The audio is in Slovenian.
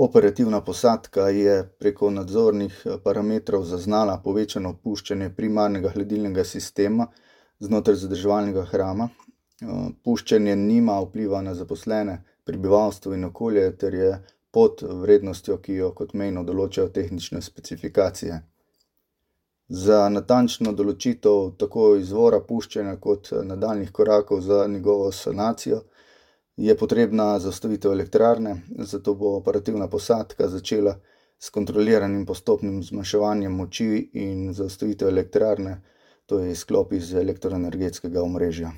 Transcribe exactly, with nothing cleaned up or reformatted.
Operativna posadka je preko nadzornih parametrov zaznala povečano puščanje primarnega hladilnega sistema znotraj zadrževalnega hrama. Puščanje nima vpliva na zaposlene, prebivalstvo in okolje ter je pod vrednostjo, ki jo kot mejno določajo tehnične specifikacije. Za natančno določitev tako izvora puščanja kot nadaljnjih korakov za njegovo sanacijo je potrebna zaustavitev elektrarne, zato bo operativna posadka začela s kontroliranim postopnim zmanjševanjem moči in zaustavitev elektrarne, to je izklop iz elektroenergetskega omrežja.